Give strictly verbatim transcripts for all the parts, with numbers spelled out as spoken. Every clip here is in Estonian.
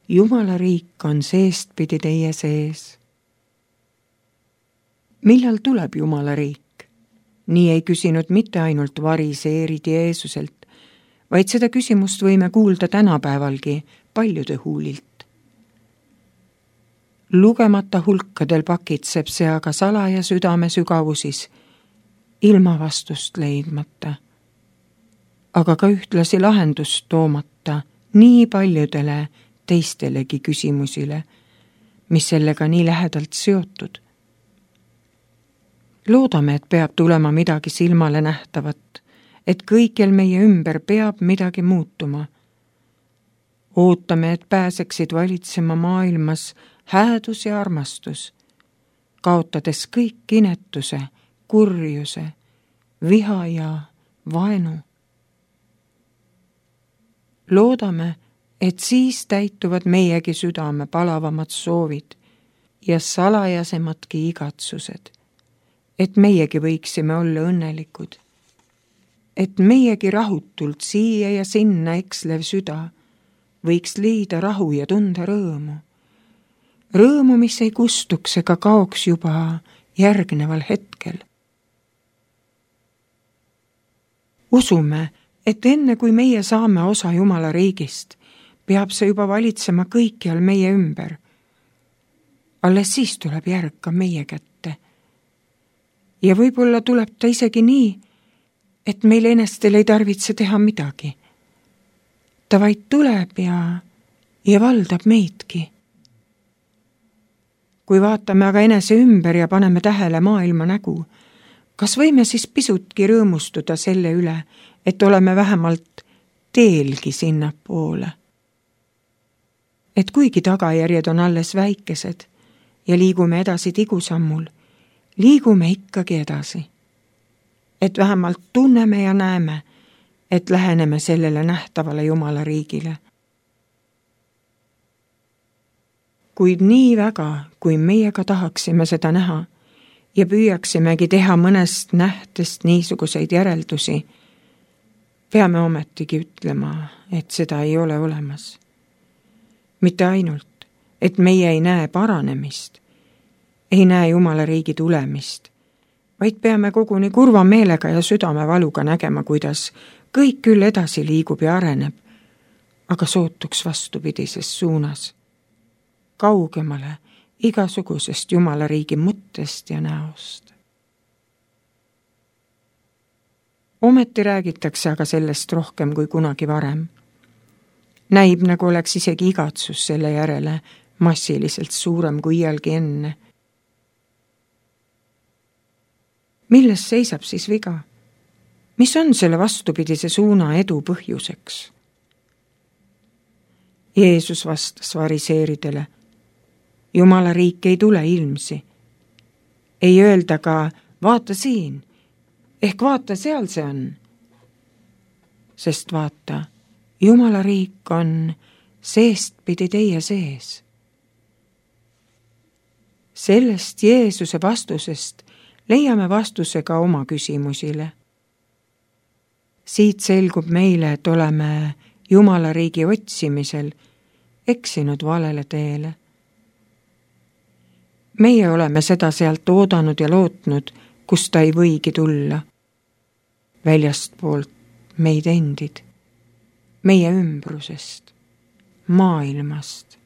Jumala riik on seestpidi teie sees. Millal tuleb Jumala riik? Nii ei küsinud mitte ainult variseerid Jeesuselt, vaid seda küsimust võime kuulda tänapäevalgi paljude huulilt. Lugemata hulkadel pakitseb see aga salaja südame sügavusis, ilma vastust leidmata, aga ka ühtlasi lahendust toomata nii paljudele teistelegi küsimusile, mis sellega nii lähedalt seotud. Loodame, et peab tulema midagi silmale nähtavat, et kõikjal meie ümber peab midagi muutuma. Ootame, et pääseksid valitsema maailmas häädus ja armastus, kaotades kõik inetuse, kurjuse, viha ja vaenu. Loodame, et siis täituvad meiegi südame palavamad soovid ja salajasemadki igatsused, et meiegi võiksime olla õnnelikud, et meiegi rahutult siia ja sinna ekslev süda võiks leida rahu ja tunda rõõmu. Rõõmu, mis ei kustuks ega kaoks juba järgneval hetkel. Usume, et enne kui meie saame osa Jumala riigist, peab see juba valitsema kõikjal meie ümber. Alles siis tuleb järg ka meie kätte. Ja võib-olla tuleb ta isegi nii, et meil enestel ei tarvitse teha midagi. Ta vaid tuleb ja, ja valdab meidki. Kui vaatame aga enese ümber ja paneme tähele maailma nägu, kas võime siis pisutki rõõmustuda selle üle, et oleme vähemalt teelgi sinna poole? Et kuigi tagajärjed on alles väikesed ja liigume edasi tigusammul, liigume ikkagi edasi. Et vähemalt tunneme ja näeme, et läheneme sellele nähtavale Jumala riigile. Kuid nii väga, kui meiega tahaksime seda näha ja püüaksimegi teha mõnest nähtest niisuguseid järeldusi, peame ometigi ütlema, et seda ei ole olemas. Mitte ainult, et meie ei näe paranemist, ei näe Jumala riigi tulemist, vaid peame koguni kurva meelega ja südamevaluga nägema, kuidas kõik küll edasi liigub ja areneb, aga sootuks vastupidises suunas, kaugemale igasugusest Jumala riigi mõttest ja näost. Ometi räägitakse aga sellest rohkem kui kunagi varem. Näib, nagu oleks isegi igatsus selle järele massiliselt suurem kui iialgi enne. Milles seisab siis viga? Mis on selle vastupidise suuna edu põhjuseks? Jeesus vastas variseeridele, Jumala riik ei tule ilmsi. Ei öelda ka, vaata siin, ehk vaata seal see on. Sest vaata, Jumala riik on seestpidi teie sees. Sellest Jeesuse vastusest leiame vastuse ka oma küsimusile. Siit selgub meile, et oleme Jumala riigi otsimisel eksinud valele teele. Meie oleme seda sealt oodanud ja lootnud, kus ta ei võigi tulla. Väljastpoolt meid endid, meie ümbrusest, maailmast.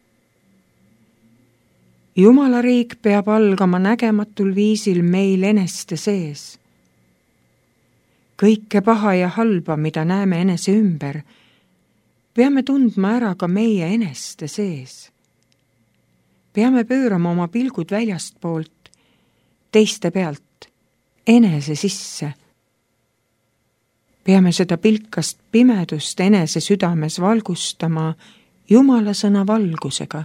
Jumala riik peab algama nägematul viisil meil eneste sees. Kõike paha ja halba, mida näeme enese ümber, peame tundma ära ka meie eneste sees. Peame pöörama oma pilgud väljastpoolt, teiste pealt, enese sisse. Peame seda pilkast pimedust enese südames valgustama Jumala sõna valgusega.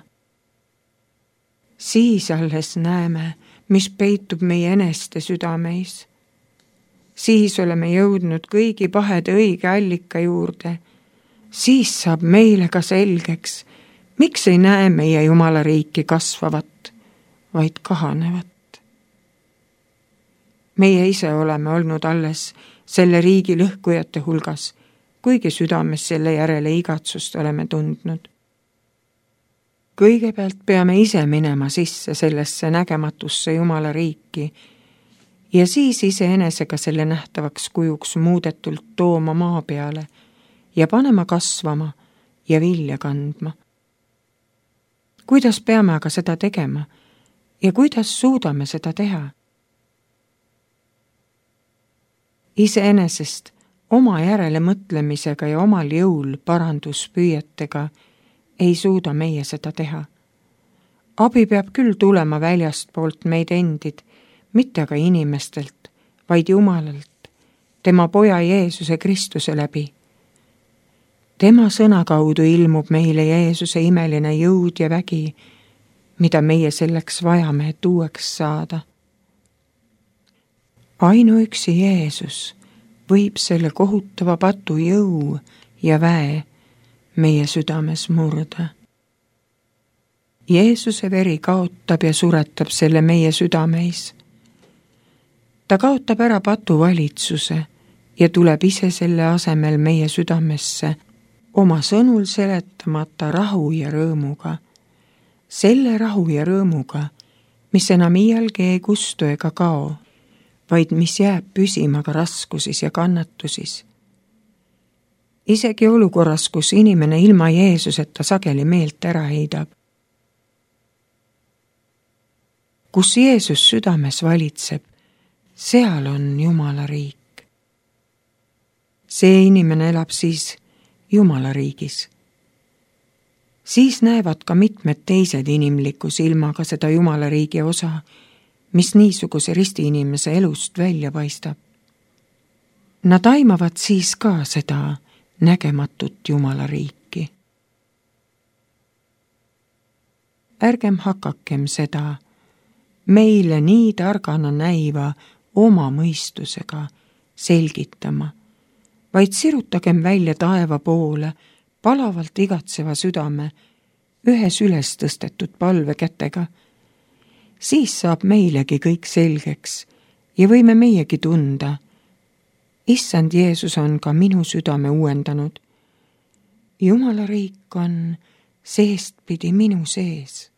Siis alles näeme, mis peitub meie eneste südameis. Siis oleme jõudnud kõigi pahede õige allika juurde. Siis saab meile ka selgeks, miks ei näe meie Jumala riiki kasvavat, vaid kahanevat. Meie ise oleme olnud alles selle riigi lõhkujate hulgas, kuigi südames selle järele igatsust oleme tundnud. kõigepealt peame ise minema sisse sellesse nägematusse Jumala riiki ja siis iseenesega selle nähtavaks kujuks muudetult tooma maa peale ja panema kasvama ja vilja kandma. Kuidas peame aga seda tegema ja kuidas suudame seda teha? Iseenesest oma järele mõtlemisega ja omal jõul paranduspüüetega ei suuda meie seda teha. Abi peab küll tulema väljast poolt meid endid, mitte aga inimestelt, vaid Jumalalt, tema poja Jeesuse Kristuse läbi. Tema sõna kaudu ilmub meile Jeesuse imeline jõud ja vägi, mida meie selleks vajame, et uueks saada. Ainuüksi Jeesus võib selle kohutava patu jõu ja väe meie südames murda. Jeesuse veri kaotab ja suretab selle meie südameis. Ta kaotab ära patu valitsuse ja tuleb ise selle asemel meie südamesse oma sõnul seletamata rahu ja rõõmuga. Selle rahu ja rõõmuga, mis enam iialgi ei kustu ega kao, vaid mis jääb püsima ka raskusis ja kannatusis. Isegi olukorras, kus inimene ilma Jeesuseta sageli meelt ära heidab. Kus Jeesus südames valitseb, seal on Jumala riik. See inimene elab siis Jumala riigis. Siis näevad ka mitmed teised inimliku silmaga seda Jumala riigi osa, mis niisuguse risti inimese elust välja paistab. Nad aimavad siis ka seda nägematut Jumala riiki. Ärgem hakakem seda meile nii targana näiva oma mõistusega selgitama, vaid sirutagem välja taeva poole palavalt igatseva südame ühes üles tõstetud palvekätega. Siis saab meilegi kõik selgeks ja võime meiegi tunda. Issand Jeesus on ka minu südame uuendanud. Jumala riik on seestpidi minu sees.